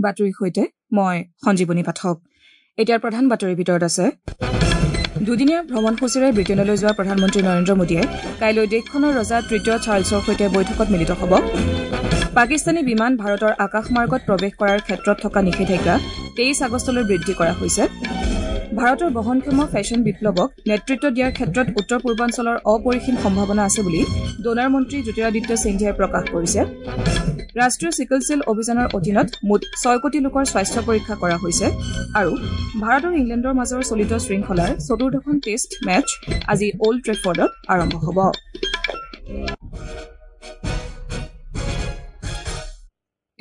বাতৰিৰ সৈতে মই সঞ্জীৱনী পাঠক। এতিয়াৰ প্ৰধান বাতৰিৰ ভিতৰত আছে দুদিনীয়া ভ্ৰমণসূচীৰে ব্ৰিটেইনলৈ যোৱা প্ৰধানমন্ত্ৰী নৰেন্দ্ৰ মোদীয়ে কাইলৈ দেশখনৰ ৰজা তৃতীয় চাৰ্লছৰ সৈতে বৈঠকত মিলিত হ'ব। পাকিস্তানী বিমান ভাৰতৰ আকাশমাৰ্গত প্ৰৱেশ কৰাৰ ক্ষেত্ৰত থকা নিষেধাজ্ঞা ২৩ আগষ্টলৈ বৃদ্ধি কৰা হৈছে। ভাৰতৰ বহনক্ষম ফেশ্বন বিপ্লৱক নেতৃত্ব দিয়াৰ ক্ষেত্ৰত উত্তৰ পূৰ্বাঞ্চলৰ অপৰিসীম সম্ভাৱনা আছে বুলি ডোনাৰ মন্ত্ৰী জ্যোতিৰাদিত্য সিন্ধিয়াই প্ৰকাশ কৰিছে। ৰাষ্ট্ৰীয় চিকল চেল অভিযানৰ অধীনত মুঠ ৬ কোটি লোকৰ স্বাস্থ্য পৰীক্ষা কৰা হৈছে। আৰু ভাৰত আৰু ইংলেণ্ডৰ মাজৰ চলিত শৃংখলাৰ চতুৰ্থখন টেষ্ট মেচ আজি অল্ড ট্ৰেফৰ্ডত আৰম্ভ হ'ব।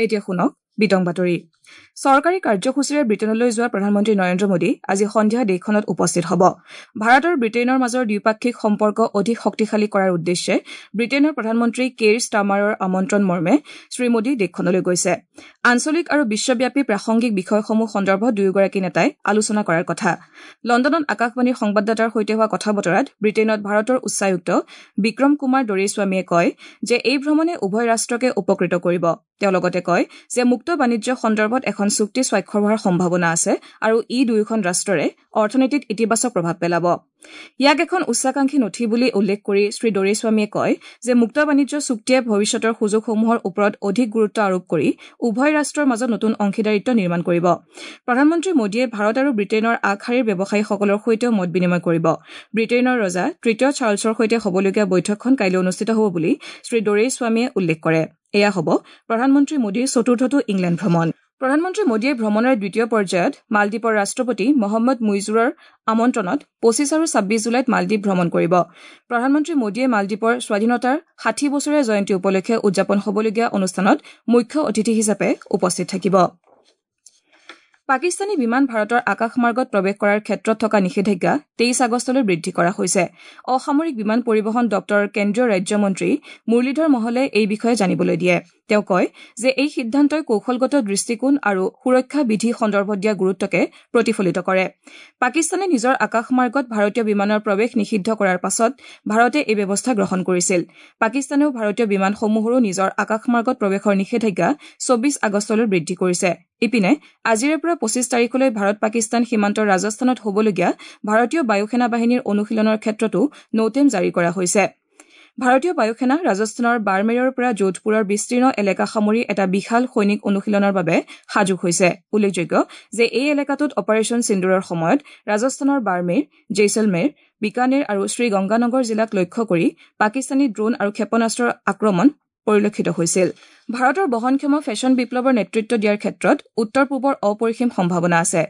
এতিয়া শুনক বিতং বাতৰি। চৰকাৰী কাৰ্যসূচীৰে ব্ৰিটেইনলৈ যোৱা প্ৰধানমন্ত্ৰী নৰেন্দ্ৰ মোদী আজি সন্ধিয়া দেশখনত উপস্থিত হ'ব। ভাৰত আৰু ব্ৰিটেইনৰ মাজৰ দ্বিপাক্ষিক সম্পৰ্ক অধিক শক্তিশালী কৰাৰ উদ্দেশ্যে ব্ৰিটেইনৰ প্ৰধানমন্ত্ৰী কেইৰ ষ্টাৰমাৰৰ আমন্ত্ৰণ মৰ্মে শ্ৰীমোদী দেশখনলৈ গৈছে। আঞ্চলিক আৰু বিশ্বব্যাপী প্ৰাসংগিক বিষয়সমূহ সন্দৰ্ভত দুয়োগৰাকী নেতাই আলোচনা কৰাৰ কথা। লণ্ডনত আকাশবাণীৰ সংবাদদাতাৰ সৈতে হোৱা কথা বতৰাত ব্ৰিটেইনত ভাৰতৰ উচ্চায়ুক্ত বিক্ৰম কুমাৰ দৰেস্বামীয়ে কয় যে এই ভ্ৰমণে উভয় ৰাষ্ট্ৰকে উপকৃত কৰিব। তেওঁ লগতে কয় যে মুক্ত বাণিজ্য সন্দৰ্ভত এখন চুক্তি স্বাক্ষৰ হোৱাৰ সম্ভাৱনা আছে আৰু ই দুয়োখন ৰাষ্ট্ৰৰে অৰ্থনীতিত ইতিবাচক প্ৰভাৱ পেলাব। ইয়াক এখন উচ্চাকাংক্ষী নথি বুলি উল্লেখ কৰি শ্ৰী দৰেস্বামীয়ে কয় যে মুক্ত বাণিজ্য চুক্তিয়ে ভৱিষ্যতৰ সুযোগসমূহৰ ওপৰত অধিক গুৰুত্ব আৰোপ কৰি উভয় ৰাষ্ট্ৰৰ মাজত নতুন অংশীদাৰিত্ব নিৰ্মাণ কৰিব। প্ৰধানমন্ত্ৰী মোদীয়ে ভাৰত আৰু ব্ৰিটেইনৰ আগশাৰীৰ ব্যৱসায়ীসকলৰ সৈতেও মত বিনিময় কৰিব। ব্ৰিটেইনৰ ৰজা তৃতীয় চাৰ্লছৰ সৈতে হ'বলগীয়া বৈঠকখন কাইলৈ অনুষ্ঠিত হ'ব বুলি শ্ৰী দৰেস্বামীয়ে উল্লেখ কৰে। এয়া হ'ব প্ৰধানমন্ত্ৰী মোদীৰ চতুৰ্থটো ইংলেণ্ড ভ্ৰমণ। প্ৰধানমন্ত্ৰী মোদীয়ে ভ্ৰমণৰ দ্বিতীয় পৰ্যায়ত মালদ্বীপৰ ৰাষ্ট্ৰপতি মহম্মদ মুইজুৰৰ আমন্ত্ৰণত ২৫ আৰু ২৬ জুলাইত মালদ্বীপ ভ্ৰমণ কৰিব। প্ৰধানমন্ত্ৰী মোদীয়ে মালদ্বীপৰ স্বাধীনতাৰ ৬০ বছৰীয়া জয়ন্তী উপলক্ষে উদযাপন হ'বলগীয়া অনুষ্ঠানত মুখ্য অতিথি হিচাপে উপস্থিত থাকিব। পাকিস্তানী বিমান ভাৰতৰ আকাশমাৰ্গত প্ৰৱেশ কৰাৰ ক্ষেত্ৰত থকা নিষেধাজ্ঞা ২৩ আগষ্টলৈ বৃদ্ধি কৰা হৈছে। অসামৰিক বিমান পৰিবহণ দপ্তৰৰ কেন্দ্ৰীয় ৰাজ্যমন্ত্ৰী মুৰলীধৰ মহলে এই বিষয়ে জানিবলৈ দিয়ে। তেওঁ কয় যে এই সিদ্ধান্তই কৌশলগত দৃষ্টিকোণ আৰু সুৰক্ষা বিধি সন্দৰ্ভত দিয়া গুৰুত্বকে প্ৰতিফলিত কৰে। পাকিস্তানে নিজৰ আকাশমাৰ্গত ভাৰতীয় বিমানৰ প্ৰৱেশ নিষিদ্ধ কৰাৰ পাছত ভাৰতে এই ব্যৱস্থা গ্ৰহণ কৰিছিল। পাকিস্তানেও ভাৰতীয় বিমানসমূহৰো নিজৰ আকাশমাৰ্গত প্ৰৱেশৰ নিষেধাজ্ঞা ২৪ আগষ্টলৈ বৃদ্ধি কৰিছে। ইপিনে আজিৰে পৰা ২৫ তাৰিখলৈ ভাৰত পাকিস্তান সীমান্তৰ ৰাজস্থানত হ'বলগীয়া ভাৰতীয় বায়ুসেনা বাহিনীৰ অনুশীলনৰ ক্ষেত্ৰতো নৌটেম জাৰি কৰা হৈছে। ভাৰতীয় বায়ুসেনা ৰাজস্থানৰ বাৰমেৰৰ পৰা যোধপুৰৰ বিস্তীৰ্ণ এলেকা সামৰি এটা বিশাল সৈনিক অনুশীলনৰ বাবে সাজু হৈছে। উল্লেখযোগ্য যে এই এলেকাটোত অপাৰেচন সিন্দুৰৰ সময়ত ৰাজস্থানৰ বাৰমেৰ, জেইছলমেৰ, বিকানেৰ আৰু শ্ৰীগংগানগৰ জিলাক লক্ষ্য কৰি পাকিস্তানী ড্ৰোন আৰু ক্ষেপণাস্ত্ৰৰ আক্ৰমণ পৰিলক্ষিত হৈছিল। ভাৰতৰ বহনক্ষম ফেশ্বন বিপ্লৱৰ নেতৃত্ব দিয়াৰ ক্ষেত্ৰত উত্তৰ পূবৰ অপৰিসীম সম্ভাৱনা আছে।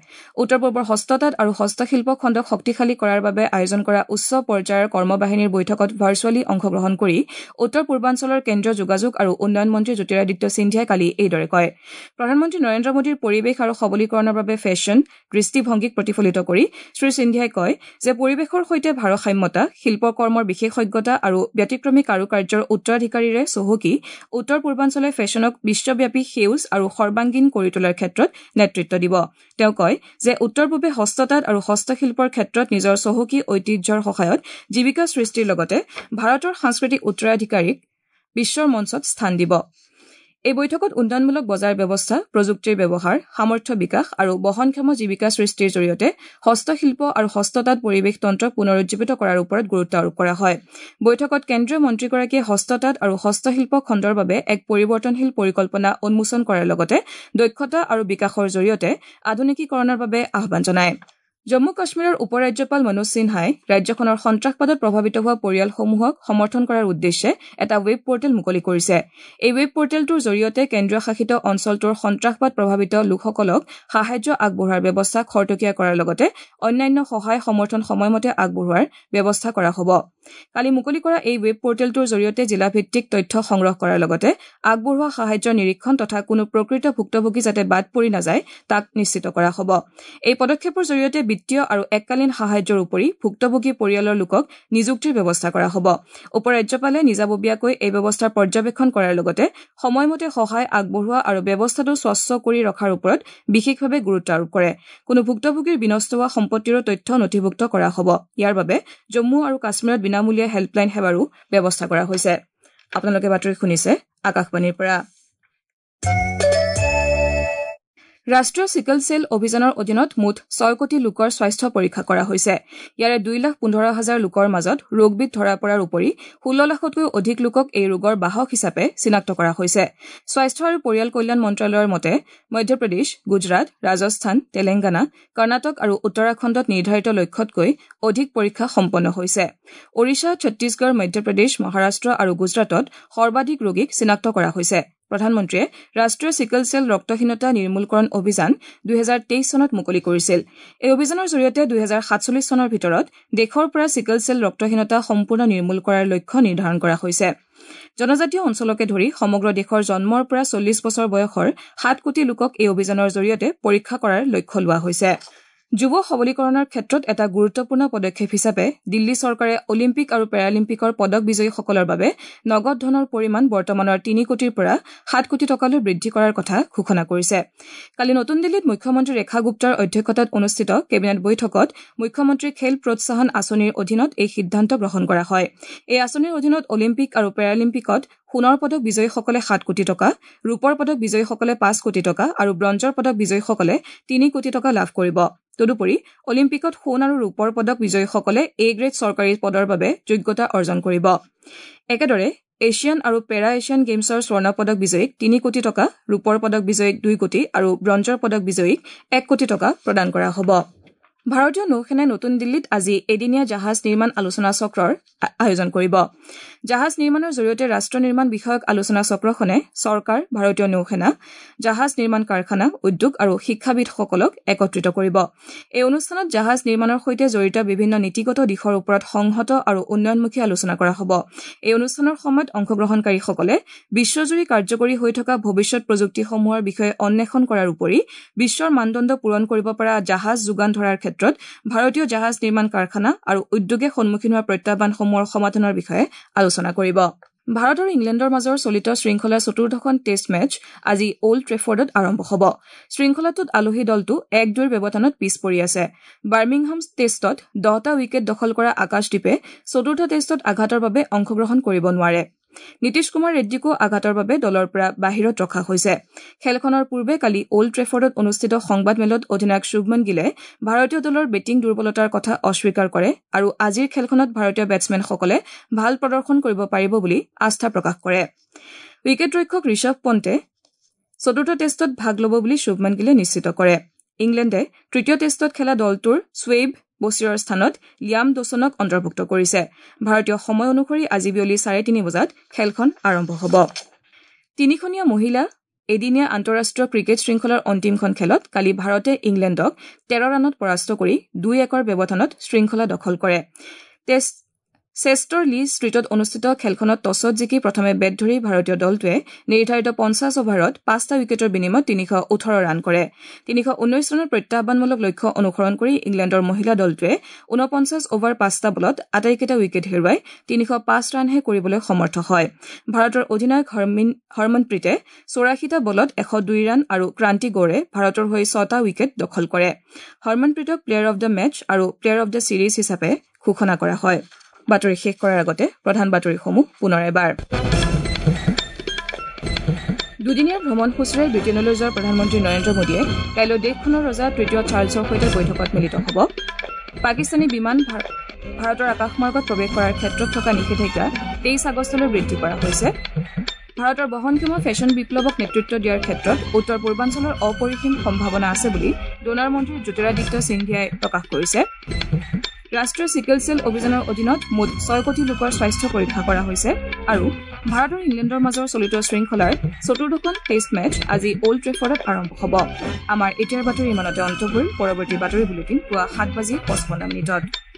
উত্তৰ পূবৰ হস্ততাঁত আৰু হস্তশিল্প খণ্ডক শক্তিশালী কৰাৰ বাবে আয়োজন কৰা উচ্চ পৰ্যায়ৰ কৰ্মবাহিনীৰ বৈঠকত ভাৰ্চুৱেলী অংশগ্ৰহণ কৰি উত্তৰ পূৰ্বাঞ্চলৰ কেন্দ্ৰীয় যোগাযোগ আৰু উন্নয়ন মন্ত্ৰী জ্যোতিৰাদিত্য সিন্ধিয়াই কালি এইদৰে কয়। প্ৰধানমন্ত্ৰী নৰেন্দ্ৰ মোদীৰ পৰিৱেশ আৰু সবলীকৰণৰ বাবে ফেশ্বন দৃষ্টিভংগীক প্ৰতিফলিত কৰি শ্ৰী সিন্ধিয়াই কয় যে পৰিৱেশৰ সৈতে ভাৰসাম্যতা, শিল্পকৰ্মৰ বিশেষজ্ঞতা আৰু ব্যতিক্ৰমী কাৰুকাৰ্যৰ উত্তৰাধিকাৰীৰে চহকী উত্তৰ পূৰ্বাঞ্চলে ফেশ্বনক বিশ্বব্যাপী সেউজ আৰু সৰ্বাংগীন কৰি তোলাৰ ক্ষেত্ৰত নেতৃত্ব দিব। তেওঁ কয় যে উত্তৰ পূবে হস্ততাঁত আৰু হস্তশিল্পৰ ক্ষেত্ৰত নিজৰ চহকী ঐতিহ্যৰ সহায়ত জীৱিকা সৃষ্টিৰ লগতে ভাৰতৰ সাংস্কৃতিক উত্তৰাধিকাৰীক বিশ্বৰ মঞ্চত স্থান দিব। এই বৈঠকত উন্নয়নমূলক বজাৰ ব্যৱস্থা, প্ৰযুক্তিৰ ব্যৱহাৰ, সামৰ্থ্য বিকাশ আৰু বহনক্ষম জীৱিকা সৃষ্টিৰ জৰিয়তে হস্তশিল্প আৰু হস্ততাঁত পৰিৱেশ তন্ত্ৰক পুনৰুজ্জীৱিত কৰাৰ ওপৰত গুৰুত্ব আৰোপ কৰা হয়। বৈঠকত কেন্দ্ৰীয় মন্ত্ৰীগৰাকীয়ে হস্ততাঁত আৰু হস্তশিল্প খণ্ডৰ বাবে এক পৰিৱৰ্তনশীল পৰিকল্পনা উন্মোচন কৰাৰ লগতে দক্ষতা আৰু বিকাশৰ জৰিয়তে আধুনিকীকৰণৰ বাবে আহ্বান জনায়। জম্মু কাশ্মীৰৰ উপ ৰাজ্যপাল মনোজ সিনহাই ৰাজ্যখনৰ সন্ত্ৰাসবাদত প্ৰভাৱিত হোৱা পৰিয়ালসমূহক সমৰ্থন কৰাৰ উদ্দেশ্যে এটা ৱেব পৰ্টেল মুকলি কৰিছে। এই ৱেব পৰ্টেলটোৰ জৰিয়তে কেন্দ্ৰীয় শাসিত অঞ্চলটোৰ সন্ত্ৰাসবাদ প্ৰভাৱিত লোকসকলক সাহায্য আগবঢ়োৱাৰ ব্যৱস্থা খৰতকীয়া কৰাৰ লগতে অন্যান্য সহায় সমৰ্থন সময়মতে আগবঢ়োৱাৰ ব্যৱস্থা কৰা হ'ব। কালি মুকলি কৰা এই ৱেব পৰ্টেলটোৰ জৰিয়তে জিলাভিত্তিক তথ্য সংগ্ৰহ কৰাৰ লগতে আগবঢ়োৱা সাহায্যৰ নিৰীক্ষণ তথা কোনো প্ৰকৃত ভুক্তভোগী যাতে বাদ পৰি নাযায় তাক নিশ্চিত কৰা হ'ব। এই পদক্ষেপৰ জৰিয়তে বিত্তীয় আৰু এককালীন সাহায্যৰ উপৰি ভুক্তভোগী পৰিয়ালৰ লোকক নিযুক্তিৰ ব্যৱস্থা কৰা হ'ব। উপ ৰাজ্যপালে নিজাববীয়াকৈ এই ব্যৱস্থাৰ পৰ্যবেক্ষণ কৰাৰ লগতে সময়মতে সহায় আগবঢ়োৱা আৰু ব্যৱস্থাটো স্বচ্ছ কৰি ৰখাৰ ওপৰত বিশেষভাৱে গুৰুত্ব আৰোপ কৰে। কোনো ভুক্তভোগীৰ বিনষ্ট হোৱা সম্পত্তিৰো তথ্য নথিভুক্ত কৰা হ'ব। ইয়াৰ বাবে জম্মু আৰু কাশ্মীৰত বিনামূলীয়া হেল্পলাইন সেৱাৰো ব্যৱস্থা কৰা হৈছে। আপোনালোকে বাতৰি শুনিছে আকাশবাণীৰ পৰা। ৰাষ্ট্ৰীয় চিকল চেল অভিযানৰ অধীনত মুঠ 6 কোটি লোকৰ স্বাস্থ্য পৰীক্ষা কৰা হৈছে। ইয়াৰে 2,15,000 লোকৰ মাজত ৰোগবিধ ধৰা পৰাৰ উপৰি 16 লাখতকৈও অধিক লোকক এই ৰোগৰ বাহক হিচাপে চিনাক্ত কৰা হৈছে। স্বাস্থ্য আৰু পৰিয়াল কল্যাণ মন্ত্ৰালয়ৰ মতে মধ্যপ্ৰদেশ, গুজৰাট, ৰাজস্থান, তেলেংগানা, কৰ্ণাটক আৰু উত্তৰাখণ্ডত নিৰ্ধাৰিত লক্ষ্যতকৈ অধিক পৰীক্ষা সম্পন্ন হৈছে। ওড়িশা, ছত্তীশগড়, মধ্যপ্ৰদেশ, মহাৰাষ্ট্ৰ আৰু গুজৰাটত সৰ্বাধিক ৰোগীক চিনাক্ত কৰা হৈছে। প্ৰধানমন্ত্ৰীয়ে ৰাষ্ট্ৰীয় চিকল চেল ৰক্তহীনতা নিৰ্মূলকৰণ অভিযান 2023 চনত মুকলি কৰিছিল। এই অভিযানৰ জৰিয়তে 2047 চনৰ ভিতৰত দেশৰ পৰা চিকল চেল ৰক্তহীনতা সম্পূৰ্ণ নিৰ্মূল কৰাৰ লক্ষ্য নিৰ্ধাৰণ কৰা হৈছে। জনজাতীয় অঞ্চলকে ধৰি সমগ্ৰ দেশৰ জন্মৰ পৰা 40 বছৰ বয়সৰ 7 কোটি লোকক এই অভিযানৰ জৰিয়তে পৰীক্ষা কৰাৰ লক্ষ্য লোৱা হৈছে। যুৱ সবলীকৰণৰ ক্ষেত্ৰত এটা গুৰুত্বপূৰ্ণ পদক্ষেপ হিচাপে দিল্লী চৰকাৰে অলিম্পিক আৰু পেৰালিম্পিকৰ পদক বিজয়ীসকলৰ বাবে নগদ ধনৰ পৰিমাণ বৰ্তমানৰ 3 কোটিৰ পৰা 7 কোটি টকালৈ বৃদ্ধি কৰাৰ কথা ঘোষণা কৰিছে। কালি নতুন দিল্লীত মুখ্যমন্ত্ৰী ৰেখা গুপ্তাৰ অধ্যক্ষতাত অনুষ্ঠিত কেবিনেট বৈঠকত মুখ্যমন্ত্ৰী খেল প্ৰোৎসাহন আঁচনিৰ অধীনত এই সিদ্ধান্ত গ্ৰহণ কৰা হয়। এই আঁচনিৰ অধীনত অলিম্পিক আৰু পেৰালিম্পিকত সোণৰ পদক বিজয়ীসকলে 7 কোটি টকা, ৰূপৰ পদক বিজয়ীসকলে 5 কোটি টকা আৰু ব্ৰঞ্জৰ পদক বিজয়ীসকলে 3 কোটি টকা লাভ কৰিব। তদুপৰি অলিম্পিকত সোণ আৰু ৰূপৰ পদক বিজয়ীসকলে এ গ্ৰেড চৰকাৰী পদৰ বাবে যোগ্যতা অৰ্জন কৰিব। একেদৰে এছিয়ান আৰু পেৰা এছিয়ান গেমছৰ স্বৰ্ণ পদক বিজয়ীক 3 কোটি টকা, ৰূপৰ পদক বিজয়ীক 2 কোটি আৰু ব্ৰঞ্জৰ পদক বিজয়ীক 1 কোটি টকা প্ৰদান কৰা হ'ব। ভাৰতীয় নৌসেনাই নতুন দিল্লীত আজি এদিনীয়া জাহাজ নিৰ্মাণ আলোচনা চক্ৰৰ আয়োজন কৰিব। জাহাজ নিৰ্মাণৰ জৰিয়তে ৰাষ্ট্ৰ নিৰ্মাণ বিষয়ক আলোচনা চক্ৰখনে চৰকাৰ, ভাৰতীয় নৌসেনা, জাহাজ নিৰ্মাণ কাৰখানা, উদ্যোগ আৰু শিক্ষাবিদসকলক একত্ৰিত কৰিব। এই অনুষ্ঠানত জাহাজ নিৰ্মাণৰ সৈতে জড়িত বিভিন্ন নীতিগত দিশৰ ওপৰত সংহত আৰু উন্নয়নমুখী আলোচনা কৰা হ'ব। এই অনুষ্ঠানৰ সময়ত অংশগ্ৰহণকাৰীসকলে বিশ্বজুৰি কাৰ্যকৰী হৈ থকা ভৱিষ্যত প্ৰযুক্তিসমূহৰ বিষয়ে অন্বেষণ কৰাৰ উপৰি বিশ্বৰ মানদণ্ড পূৰণ কৰিব পৰা জাহাজ যোগান ধৰাৰ ক্ষেত্ৰত ভাৰতীয় জাহাজ নিৰ্মাণ কাৰখানা আৰু উদ্যোগে সন্মুখীন হোৱা প্ৰত্যাহ্বানসমূহৰ সমাধানৰ বিষয়ে আলোচনা কৰিব। ভাৰত আৰু ইংলেণ্ডৰ মাজৰ চলিত শৃংখলাৰ চতুৰ্থখন টেষ্ট মেচ আজি অল্ড ট্ৰেফৰ্ডত আৰম্ভ হ'ব। শৃংখলাটোত আলহী দলটো 1-2 ব্যৱধানত পিছ পৰি আছে। বাৰ্মিংহাম টেষ্টত 10টা উইকেট দখল কৰা আকাশদ্বীপে চতুৰ্থ টেষ্টত আঘাতৰ বাবে অংশগ্ৰহণ কৰিব নোৱাৰে। নীতিশ কুমাৰ ৰেড্ডীকো আঘাতৰ বাবে দলৰ পৰা বাহিৰত ৰখা হৈছে। খেলখনৰ পূৰ্বে কালি অল্ড ট্ৰেফৰ্ডত অনুষ্ঠিত সংবাদমেলত অধিনায়ক শুভমন গিলে ভাৰতীয় দলৰ বেটিং দুৰ্বলতাৰ কথা অস্বীকাৰ কৰে আৰু আজিৰ খেলখনত ভাৰতীয় বেটছমেনসকলে ভাল প্ৰদৰ্শন কৰিব পাৰিব বুলি আস্থা প্ৰকাশ কৰে। উইকেটৰক্ষক ঋষভ পণ্টে চতুৰ্থ টেষ্টত ভাগ ল'ব বুলি শুভমন গিলে নিশ্চিত কৰে। ইংলেণ্ডে তৃতীয় টেষ্টত খেলা দলটোৰ শ্বুৱেইব বছিৰৰ স্থানত লিয়াম ডছনক অন্তৰ্ভুক্ত কৰিছে। ভাৰতীয় সময় অনুসৰি আজি বিয়লি 3:30 বজাত খেলখন আৰম্ভ হ'ব। তিনিখনীয়া মহিলা এদিনীয়া আন্তঃৰাষ্ট্ৰীয় ক্ৰিকেট শৃংখলাৰ অন্তিমখন খেলত কালি ভাৰতে ইংলেণ্ডক 13 ৰানত পৰাস্ত কৰি 2-1 ব্যৱধানত শৃংখলা দখল কৰে। চেষ্টাৰ লি ষ্ট্ৰীটত অনুষ্ঠিত খেলখনত টছত জিকি প্ৰথমে বেট ধৰি ভাৰতীয় দলটোৱে নিৰ্ধাৰিত 50 অভাৰত 5টা উইকেটৰ বিনিময়ত 318 ৰান কৰে। 319 ৰানৰ প্ৰত্যাহ্বানমূলক লক্ষ্য অনুসৰণ কৰি ইংলেণ্ডৰ মহিলা দলটোৱে 49 অভাৰ 5টা বলত আটাইকেইটা উইকেট হেৰুৱাই 305 ৰানহে কৰিবলৈ সমৰ্থ হয়। ভাৰতৰ অধিনায়ক হৰমনপ্ৰীতে 84টা বলত 102 ৰান আৰু ক্ৰান্তি গৌৰে ভাৰতৰ হৈ 6টা উইকেট দখল কৰে। হৰমনপ্ৰীতক প্লেয়াৰ অব the match আৰু প্লেয়াৰ অব the series হিচাপে ঘোষণা কৰা হয়। বাতৰি শেষ কৰাৰ আগতে প্ৰধান বাতৰিসমূহ পুনৰ এবাৰ। দুদিনীয়া ভ্ৰমণসূচীৰে ব্ৰিটেইনলৈ যোৱা প্ৰধানমন্ত্ৰী নৰেন্দ্ৰ মোদীয়ে কাইলৈ দেশখনৰ ৰজা তৃতীয় চাৰ্লছৰ সৈতে বৈঠকত মিলিত হ'ব। পাকিস্তানী বিমান ভাৰতৰ আকাশমাৰ্গত প্ৰৱেশ কৰাৰ ক্ষেত্ৰত থকা নিষেধাজ্ঞা 23 আগষ্টলৈ বৃদ্ধি কৰা হৈছে। ভাৰতৰ বহনক্ষম ফেশ্বন বিপ্লৱক নেতৃত্ব দিয়াৰ ক্ষেত্ৰত উত্তৰ পূৰ্বাঞ্চলৰ অপৰিসীম সম্ভাৱনা আছে বুলি ডোনাৰ মন্ত্ৰী জ্যোতিৰাদিত্য সিন্ধিয়াই প্ৰকাশ কৰিছে। ৰাষ্ট্ৰীয় চিকেল চেল অভিযানৰ অধীনত মুঠ 6 কোটি লোকৰ স্বাস্থ্য পৰীক্ষা কৰা হৈছে আৰু ভাৰত আৰু ইংলেণ্ডৰ মাজৰ চলিত শৃংখলাৰ চতুৰ্থখন টেষ্ট মেচ আজি অল্ড ট্ৰেফৰ্ডত আৰম্ভ হ'ব। আমাৰ এতিয়াৰ বাতৰি ইমানতে অন্ত পৰিল। পৰৱৰ্তী বাতৰি বুলেটিন পুৱা 7:55।